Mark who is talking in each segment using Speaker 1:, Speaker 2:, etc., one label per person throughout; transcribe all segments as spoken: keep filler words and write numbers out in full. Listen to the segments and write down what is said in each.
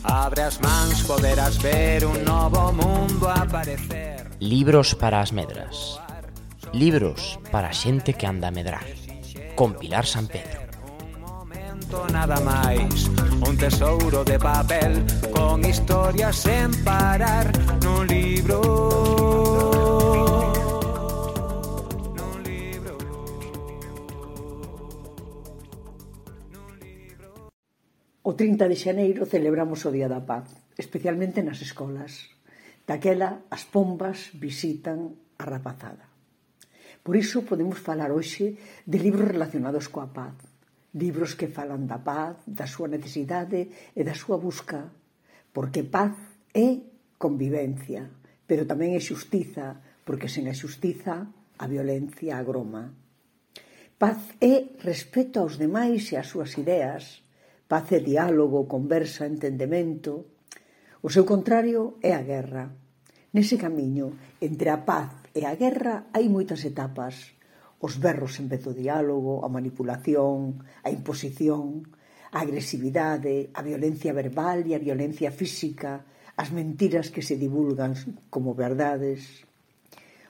Speaker 1: Abre as mans, poderás ver un novo mundo aparecer.
Speaker 2: Libros para as medras. Libros para a xente que anda a medrar. Con Pilar San Pedro.
Speaker 1: Un momento nada máis, un tesouro de papel con historias sen parar nun libro. Nun libro. Nun libro.
Speaker 3: O trinta de xaneiro celebramos o Día da Paz, especialmente nas escolas. Daquela, as pombas visitan a rapazada. Por iso podemos falar hoxe de libros relacionados coa paz. Libros que falan da paz, da súa necesidade e da súa busca. Porque paz é convivencia, pero tamén é xustiza, porque sen a xustiza a violencia agroma. Paz é respeto aos demais e ás súas ideas. Paz é diálogo, conversa, entendemento. O seu contrario é a guerra. Nese camiño entre a paz e a guerra hai moitas etapas. Os berros en vez do diálogo, a manipulación, a imposición, a agresividade, a violencia verbal e a violencia física, as mentiras que se divulgan como verdades.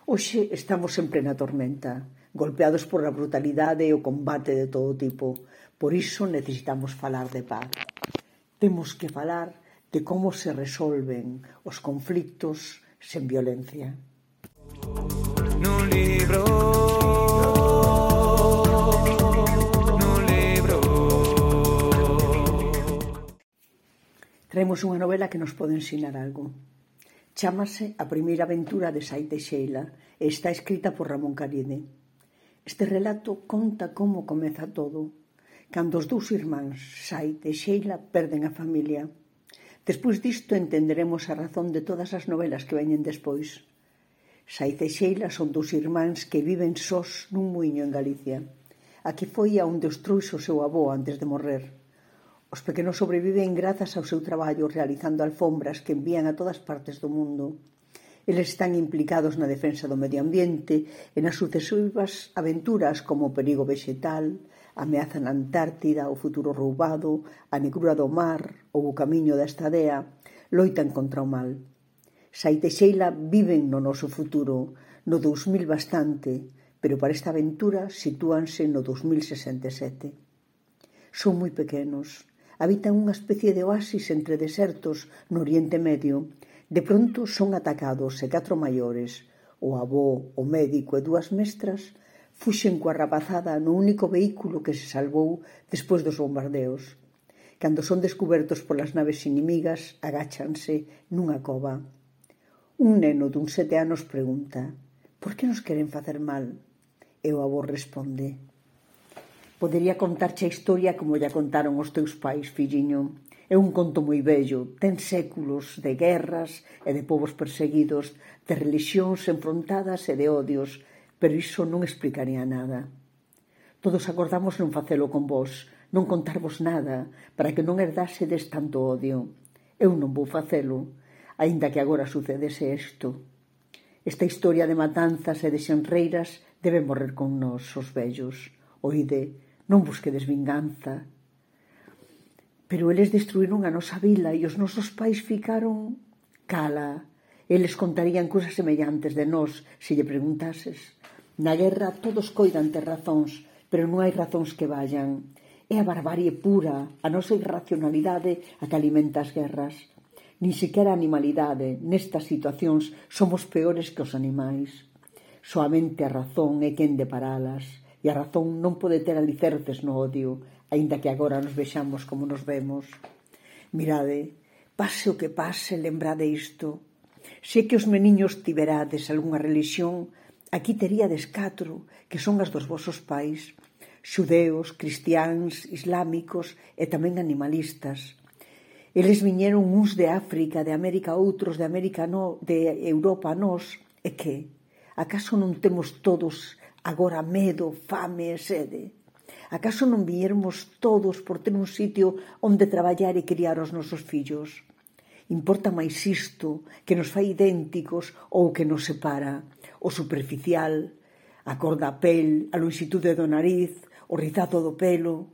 Speaker 3: Hoxe estamos en plena tormenta, golpeados por a brutalidade e o combate de todo tipo. Por iso necesitamos falar de paz. Temos que falar de como se resolven os conflictos sen violencia.
Speaker 1: Nun libro. Nun libro.
Speaker 3: Traemos unha novela que nos pode ensinar algo. Chámase A primeira aventura de Sai Teixeira e está escrita por Ramón Caride. Este relato conta como comeza todo, cando os dous irmáns, Sai e Xeila, perden a familia. Despois disto entenderemos a razón de todas as novelas que veñen despois. Sai e Xeila son dous irmáns que viven sós nun muiño en Galicia. Aquí foi a onde os trouxe o seu avó antes de morrer. Os pequenos sobreviven grazas ao seu traballo realizando alfombras que envían a todas partes do mundo. Eles están implicados na defensa do medio ambiente e nas sucesivas aventuras como o perigo vexetal, a ameaza na Antártida, o futuro roubado, a negrura do mar ou o camiño da estadea, loitan contra o mal. Sai e Xeila viven no noso futuro, no dous mil bastante, pero para esta aventura sitúanse no dous mil sesenta e sete. Son moi pequenos, habitan unha especie de oasis entre desertos no Oriente Medio. De pronto son atacados e catro maiores, o avó, o médico e dúas mestras, fuxen coa rapazada no único vehículo que se salvou despois dos bombardeos. Cando son descubertos polas naves inimigas, agáchanse nunha cova. Un neno dun sete anos pregunta: por que nos queren facer mal? E o avó responde: podería contarche a historia como lla contaron os teus pais, filliño. É un conto moi bello, ten séculos de guerras e de povos perseguidos, de religións enfrontadas e de odios, pero iso non explicaría nada. Todos acordamos non facelo con vos, non contarvos nada, para que non herdásedes tanto odio. Eu non vou facelo, aínda que agora sucedese isto. Esta historia de matanzas e de xenreiras debe morrer con nós, os vellos. Oide, non busquedes vinganza. Pero eles destruíron a nosa vila e os nosos pais ficaron... Cala, eles contarían cousas semellantes de nós se lle preguntases. Na guerra todos coidan ter razóns, pero non hai razóns que vallan. É a barbarie pura, a nosa irracionalidade a que alimenta as guerras. Nin sequera a animalidade, nestas situacións, somos peores que os animais. Soamente a razón é quen de paralas, e a razón non pode ter alicerces no odio, aínda que agora nos vexamos como nos vemos. Mirade, pase o que pase, lembrade isto. Se que os meniños tiberades algunha religión, aquí teríades catro, que son as dos vosos pais, xudeos, cristiáns, islámicos e tamén animalistas. Eles viñeron uns de África, de América outros, de América no, de Europa nós, e que? Acaso non temos todos agora medo, fame e sede? Acaso non viñermos todos por ter un sitio onde traballar e criar os nosos fillos? Importa máis isto, que nos fai idénticos ou que nos separa? O superficial, a cor da pel, a lonxitude do nariz, o rizado do pelo.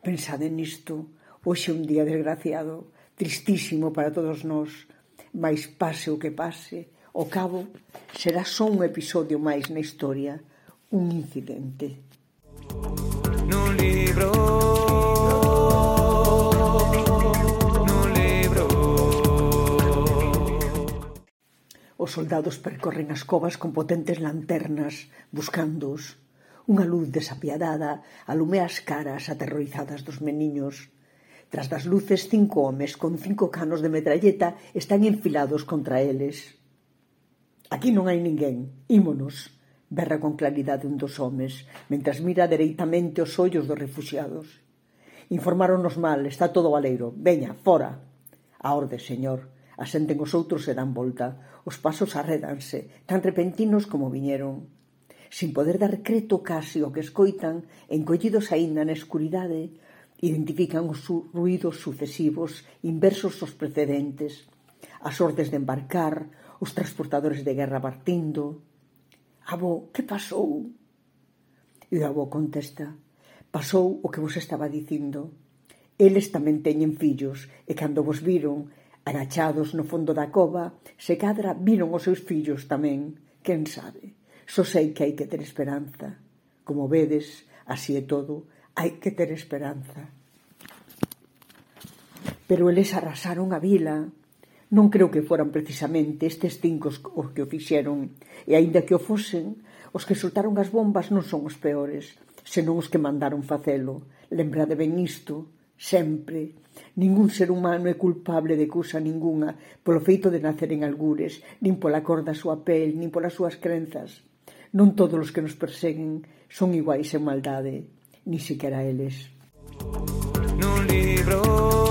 Speaker 3: Pensade nisto, hoxe é un día desgraciado. tristísimo para todos nós, mais pase o que pase, ao cabo será só un episodio máis na historia, un incidente.
Speaker 1: Nun libro, nun libro.
Speaker 3: Os soldados percorren as covas con potentes lanternas, buscándoos. Unha luz desapiadada alumea as caras aterrorizadas dos meniños. Tras das luces, cinco homes con cinco canos de metralleta están enfilados contra eles. Aquí non hai ninguén, ímonos, berra con claridade un dos homes, mentras mira dereitamente os ollos dos refuxiados. Informáronos mal, está todo baleiro, veña, fora. A orde, señor, asenten os outros e dan volta. Os pasos arrédanse, tan repentinos como viñeron. Sin poder dar creto casi o que escoitan, encollidos aínda na escuridade, identifican os ruídos sucesivos, inversos aos precedentes, as ordes de embarcar, os transportadores de guerra partindo. Avó, que pasou? E o avó contesta, pasou o que vos estaba dicindo. Eles tamén teñen fillos, e cando vos viron, agachados no fondo da cova, se cadra viron os seus fillos tamén, quen sabe. Só sei que hai que ter esperanza. Como vedes, así é todo, hai que ter esperanza. Pero eles arrasaron a vila. Non creo que foran precisamente estes cinco os que o fixeron, e aínda que o fosen, os que soltaron as bombas non son os peores, senón os que mandaron facelo. Lembrade ben isto, sempre. Ningún ser humano é culpable de cousa ningunha polo feito de nacer en algures, nin pola cor da súa pel, nin polas súas crenzas. Non todos os que nos perseguen son iguais en maldade, ni siquiera eles.
Speaker 1: Nun libro.